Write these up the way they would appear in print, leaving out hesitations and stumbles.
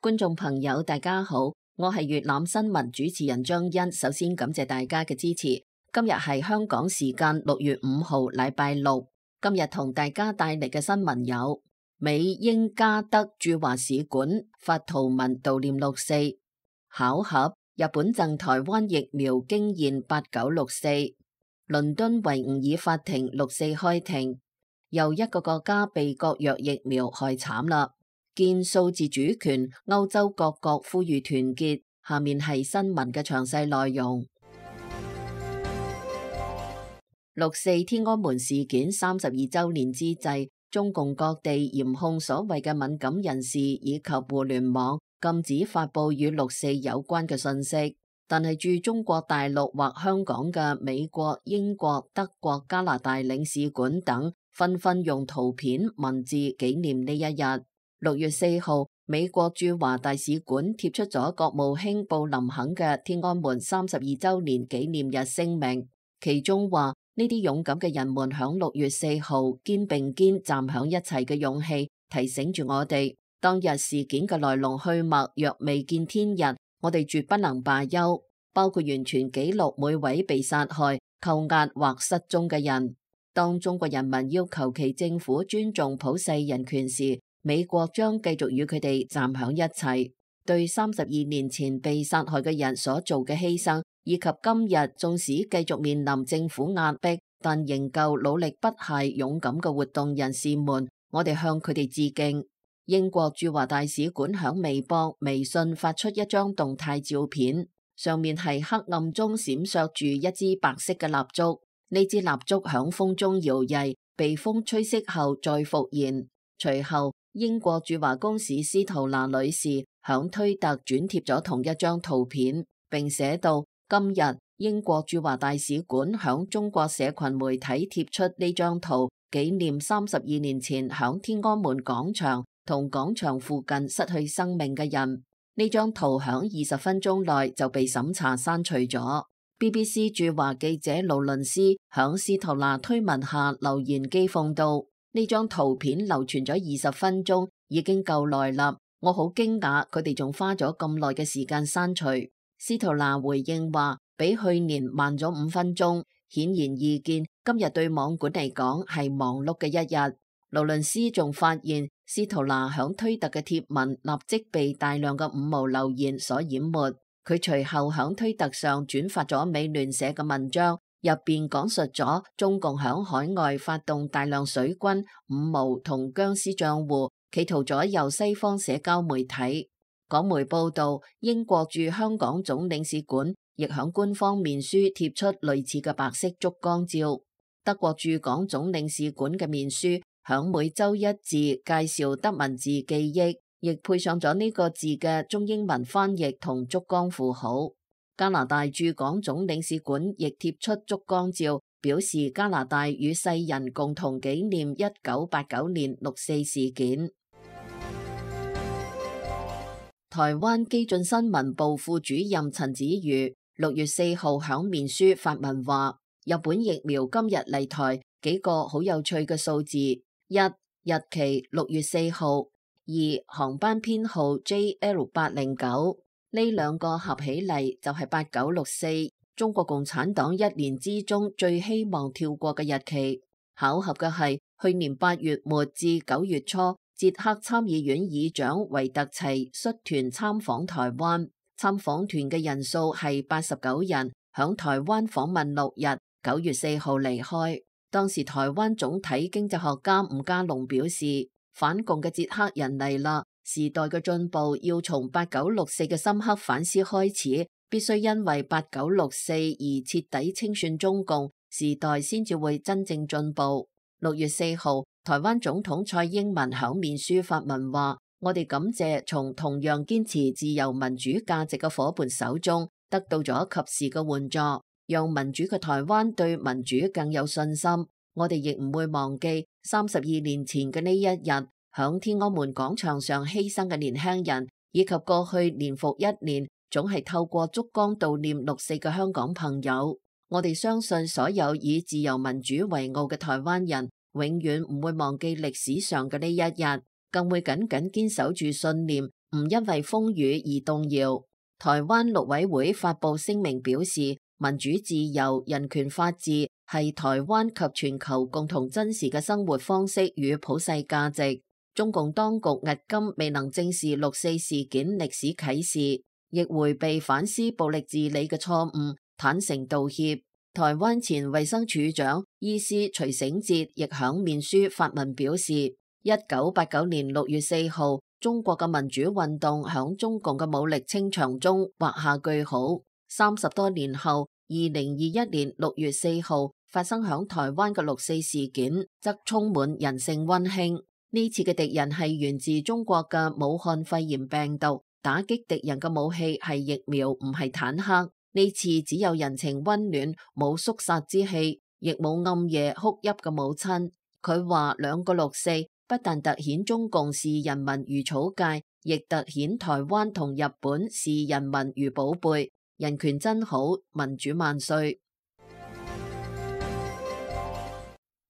觀眾朋友大家好，我係粵覽新聞主持人張欣。首先感謝大家嘅支持。今日係香港時間6月5號禮拜六。今日同大家帶嚟嘅新聞有：美英加德駐華使館發圖文悼念六四；巧合，日本贈台灣疫苗驚現8964；倫敦維吾爾法庭六四開庭；又一個國家被國藥疫苗害慘啦。見數字主權，歐洲各國呼籲團結。下面係新聞嘅詳細內容。六四天安門事件32週年之際，中共各地嚴控所謂嘅敏感人士以及互聯網，禁止發佈與六四有關嘅信息。但係駐中國大陸或香港嘅美國、英國、德國、加拿大領事館等，紛紛用圖片、文字紀念呢一日。6月4號，美國駐華大使館貼出咗國務卿布林肯嘅天安門32週年紀念日聲明，其中話呢啲勇敢嘅人們響6月4號肩並肩站響一齊嘅勇氣，提醒住我哋當日事件嘅來龍去脈若未見天日，我哋絕不能罷休，包括完全記錄每位被殺害、扣押或失蹤嘅人。當中國人民要求其政府尊重普世人權時，美國將繼續與佢哋站響一齊，對32年前被殺害嘅人所做嘅犧牲，以及今日縱使繼續面臨政府壓迫，但仍舊努力不懈勇敢嘅活動人士們，我哋向佢哋致敬。英國駐華大使館響微博、微信發出一張動態照片，上面係黑暗中閃爍住一支白色嘅蠟燭，呢支蠟燭響風中搖曳，被風吹熄後再復燃。隨後，英國駐華公使司徒娜女士響推特轉貼咗同一張圖片，並寫道：今日英國駐華大使館響中國社群媒體貼出呢張圖，紀念32年前響天安門廣場同廣場附近失去生命嘅人。呢張圖響20分鐘內就被審查刪除咗。BBC 駐華記者勞倫斯響司徒娜推文下留言譏諷道：呢張圖片流傳咗20分鐘，已經夠耐啦。我好驚訝，佢哋仲花咗咁耐嘅時間刪除。司徒娜回應話，比去年慢咗5分鐘，顯然易見今日對網管嚟講係忙碌嘅一日。勞倫斯仲發現，司徒娜響推特嘅貼文立即被大量嘅五毛留言所淹沒。佢隨後響推特上轉發咗美聯社嘅文章，入邊講述咗中共響海外發動大量水軍、五毛同僵屍賬戶，企圖左右西方社交媒體。港媒報道，英國駐香港總領事館亦響官方面書貼出類似嘅白色燭光照。德國駐港總領事館嘅面書響每周一字介紹德文字記憶，亦配上咗呢個字嘅中英文翻譯同燭光符號。加拿大駐港總領事館亦貼出燭光照，表示加拿大與世人共同紀念1989年六四事件。台灣基進新聞部副主任陳子瑜6月4號響面書發文話，日本疫苗今日嚟台，幾個好有趣嘅數字：一、日期6月4號；二、航班編號 JL809。呢兩個合起嚟就係8964，中國共產黨一年之中最希望跳過嘅日期。巧合嘅係，去年8月末至9月初，捷克參議院議長維特齊率團參訪台灣，參訪團嘅人數係89人，響台灣訪問6日，9月4號離開。當時台灣總體經濟學家吳家龍表示，反共嘅捷克人嚟啦。時代嘅進步要從8964嘅深刻反思開始，必須因為8964而徹底清算中共，時代先至會真正進步。6月4號，台灣總統蔡英文響面書發文話，我哋感謝從同樣堅持自由民主價值嘅夥伴手中得到咗及時嘅援助，讓民主嘅台灣對民主更有信心。我哋亦唔會忘記32年前嘅呢一日，響天安門廣場上犧牲嘅年輕人，以及過去年復一年總係透過燭光悼念六四嘅香港朋友。我哋相信所有以自由民主為傲嘅台灣人，永遠唔會忘記歷史上嘅呢一日，更會緊緊堅守住信念，唔因為風雨而動搖。台灣陸委會發布聲明表示，民主自由、人權法治係台灣及全球共同珍視嘅生活方式與普世價值。中共當局迄今未能正視六四事件歷史啟示，亦迴避反思暴力治理嘅錯誤，坦誠道歉。台灣前衛生署長醫師徐醒哲亦響面書發文表示，1989年6月4號，中國嘅民主運動響中共嘅武力清場中畫下句號。30多年後，2021年6月4號發生響台灣嘅六四事件，則充滿人性溫馨。呢次嘅敵人係源自中國嘅武漢肺炎病毒，打擊敵人嘅武器係疫苗，唔係坦克。呢次只有人情溫暖，冇肅殺之氣，亦冇暗夜哭泣嘅母親。佢話兩個六四不但凸顯中共視人民如草芥，亦凸顯台灣同日本視人民如寶貝。人權真好，民主萬歲。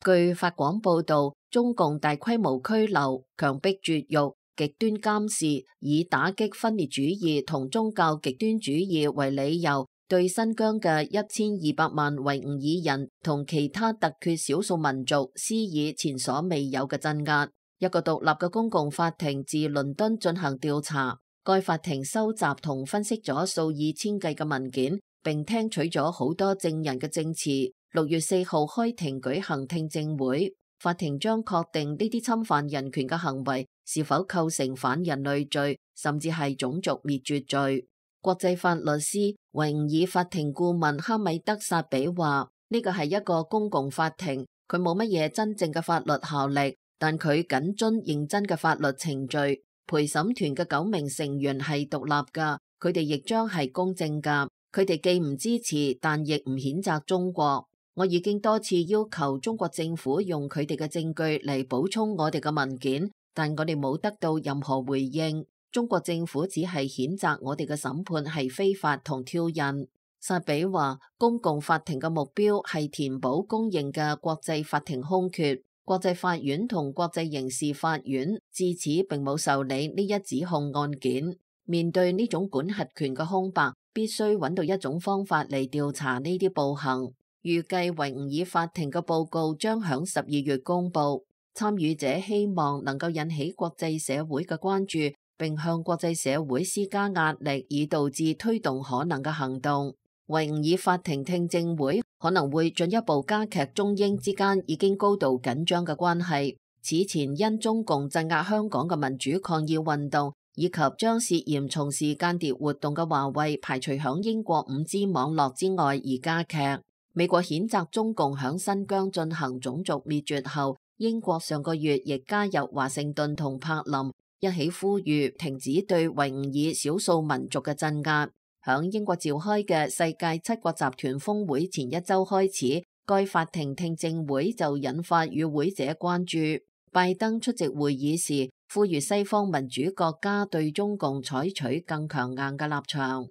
據法廣報導，中共大規模拘留、強迫絕育、極端監視，以打擊分裂主義同宗教極端主義為理由，對新疆嘅1200萬維吾爾人同其他突厥少數民族施以前所未有嘅鎮壓。一個獨立嘅公共法庭自倫敦進行調查，該法庭收集同分析咗數以千計嘅文件，並聽取咗好多證人嘅證詞。6月4號開庭舉行聽證會，法庭將確定呢啲侵犯人權嘅行為是否構成反人類罪，甚至係種族滅絕罪。國際法律師、維吾爾法庭顧問哈米德薩比話：呢個係一個公共法庭，佢冇乜嘢真正嘅法律效力，但佢謹遵認真嘅法律程序。陪審團嘅9名成員係獨立噶，佢哋亦將係公正噶。佢哋既唔支持，但亦唔譴責中國。我已經多次要求中國政府用佢哋嘅證據嚟補充我哋嘅文件，但我哋冇得到任何回應。中國政府只係譴責我哋嘅審判係非法同挑釁。薩比話，公共法庭嘅目標係填補公認嘅國際法庭空缺。國際法院同國際刑事法院至此並冇受理呢一指控案件。面對呢種管轄權嘅空白，必須揾到一種方法嚟調查呢啲暴行。預計維吾爾法庭嘅報告將響12月公佈，參與者希望能夠引起國際社會嘅關注，並向國際社會施加壓力，以導致推動可能嘅行動。維吾爾法庭聽證會可能會進一步加劇中英之間已經高度緊張嘅關係。此前因中共鎮壓香港嘅民主抗議運動，以及將涉嫌從事間諜活動嘅華為排除響英國5G 網絡之外而加劇。美國譴責中共響新疆進行種族滅絕後，英國上個月亦加入華盛頓同柏林一起呼籲停止對維吾爾少數民族嘅鎮壓。響英國召開嘅世界7國集團峰會前一周開始，該法庭聽證會就引發與會者關注。拜登出席會議時，呼籲西方民主國家對中共採取更強硬嘅立場。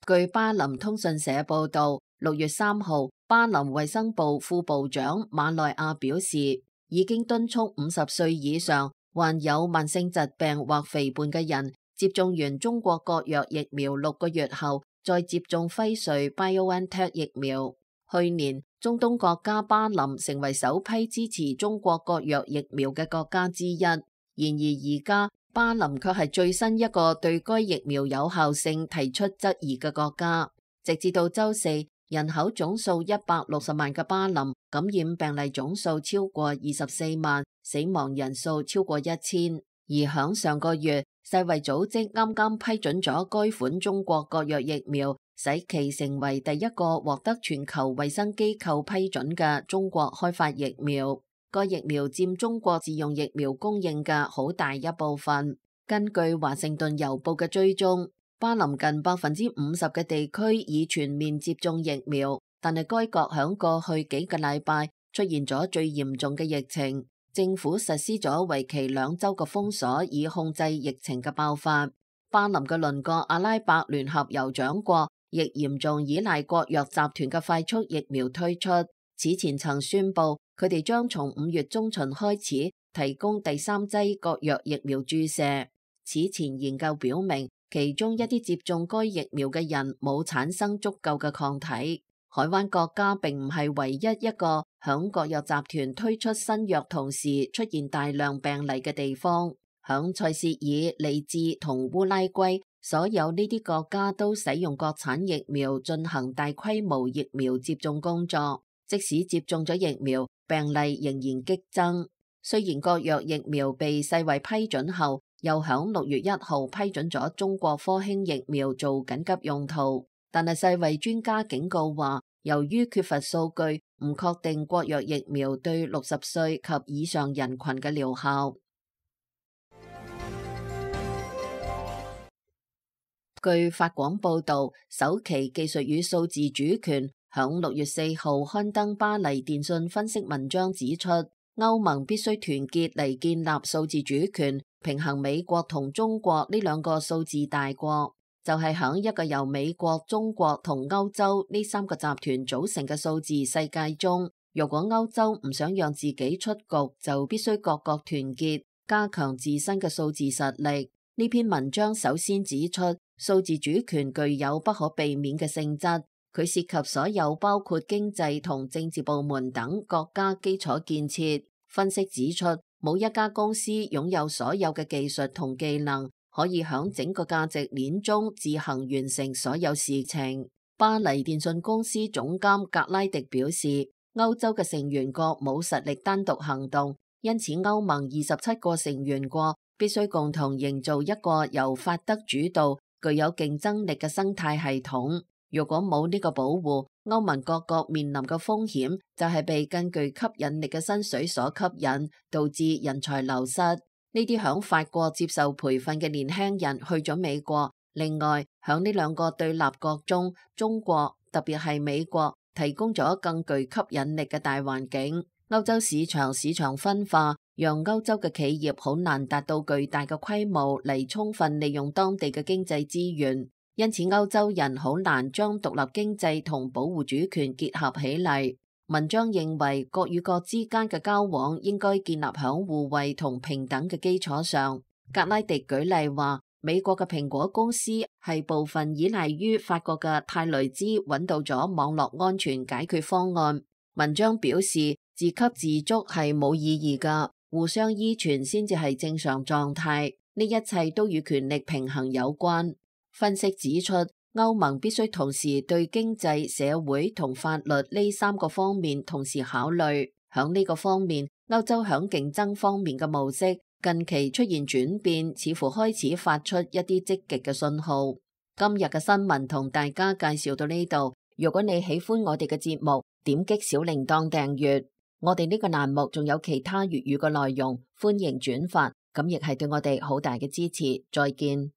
據巴林通訊社報道，6月3號，巴林衛生部副部長馬內亞表示，已經敦促50歲以上患有慢性疾病或肥胖嘅人接種完中國國藥疫苗6個月後，再接種輝瑞 BioNTech 疫苗。去年，中東國家巴林成為首批支持中國國藥疫苗嘅國家之一。然而而家，巴林卻係最新一個對該疫苗有效性提出質疑嘅國家。直至到周四，人口總數160萬嘅巴林感染病例總數超過24萬，死亡人數超過1000。而響上個月，世衛組織啱啱批准咗該款中國國藥疫苗，使其成為第一個獲得全球衛生機構批准嘅中國開發疫苗。該疫苗佔中國自用疫苗供應嘅好大一部分。根據華盛頓郵報嘅追蹤，巴林近50%嘅地區已全面接種疫苗，但係該國響過去幾個禮拜出現咗最嚴重嘅疫情，政府實施咗為期2週嘅封鎖，以控制疫情嘅爆發。巴林嘅鄰國阿拉伯聯合酋長國亦嚴重依賴國藥集團嘅快速疫苗推出，此前曾宣布佢哋將從5月中旬開始提供第3劑國藥疫苗注射。此前研究表明，其中一啲接種該疫苗嘅人冇產生足夠嘅抗體。海灣國家並唔係唯一一個響國藥集團推出新藥同時出現大量病例嘅地方。響塞舌爾、利茲同烏拉圭，所有呢啲國家都使用國產疫苗進行大規模疫苗接種工作。即使接種咗疫苗，病例仍然激增。雖然國藥疫苗被世衛批准後，又響6月1號批准咗中國科興疫苗做緊急用途，但係世衛專家警告話，由於缺乏數據，唔確定國藥疫苗對60歲及以上人群嘅療效。據法廣報導，首期技術與數字主權響6月4號刊登巴黎電訊分析文章指出，歐盟必須團結嚟建立數字主權，平衡美國同中國呢兩個數字大國。就係響一個由美國、中國同歐洲呢3個集團組成嘅數字世界中，如果歐洲唔想讓自己出局，就必須各國團結，加強自身嘅數字實力。呢篇文章首先指出，數字主權具有不可避免嘅性質，佢涉及所有包括經濟同政治部門等國家基礎建設。分析指出，冇一家公司擁有所有嘅技術同技能，可以響整個價值鏈中自行完成所有事情。巴黎電訊公司總監格拉迪表示，歐洲嘅成員國冇實力單獨行動，因此歐盟27個成員國必須共同營造一個由法德主導、具有競爭力嘅生態系統。如果冇呢個保護，歐盟各國面臨嘅風險就係被更具吸引力嘅薪水所吸引，導致人才流失。呢啲響法國接受培訓嘅年輕人去咗美國。另外，響呢兩個對立國中，中國特別係美國提供咗更具吸引力嘅大環境。歐洲市場分化，讓歐洲嘅企業好難達到巨大嘅規模嚟充分利用當地嘅經濟資源，因此歐洲人好難將獨立經濟同保護主權結合起嚟。文章認為，國與國之間嘅交往應該建立響互惠同平等嘅基礎上。格拉迪舉例話，美國嘅蘋果公司係部分依賴於法國嘅泰雷茲揾到咗網絡安全解決方案。文章表示，自給自足係冇意義㗎，互相依存先至係正常狀態。呢一切都與權力平衡有關。分析指出，歐盟必須同時對經濟、社會同法律呢3個方面同時考慮。響呢個方面，歐洲響競爭方面嘅模式近期出現轉變，似乎開始發出一啲積極嘅信號。今日嘅新聞同大家介紹到呢度。如果你喜歡我哋嘅節目，點擊小鈴鐺訂閱。我哋呢個欄目仲有其他粵語嘅內容，歡迎轉發，咁亦係對我哋好大嘅支持。再見。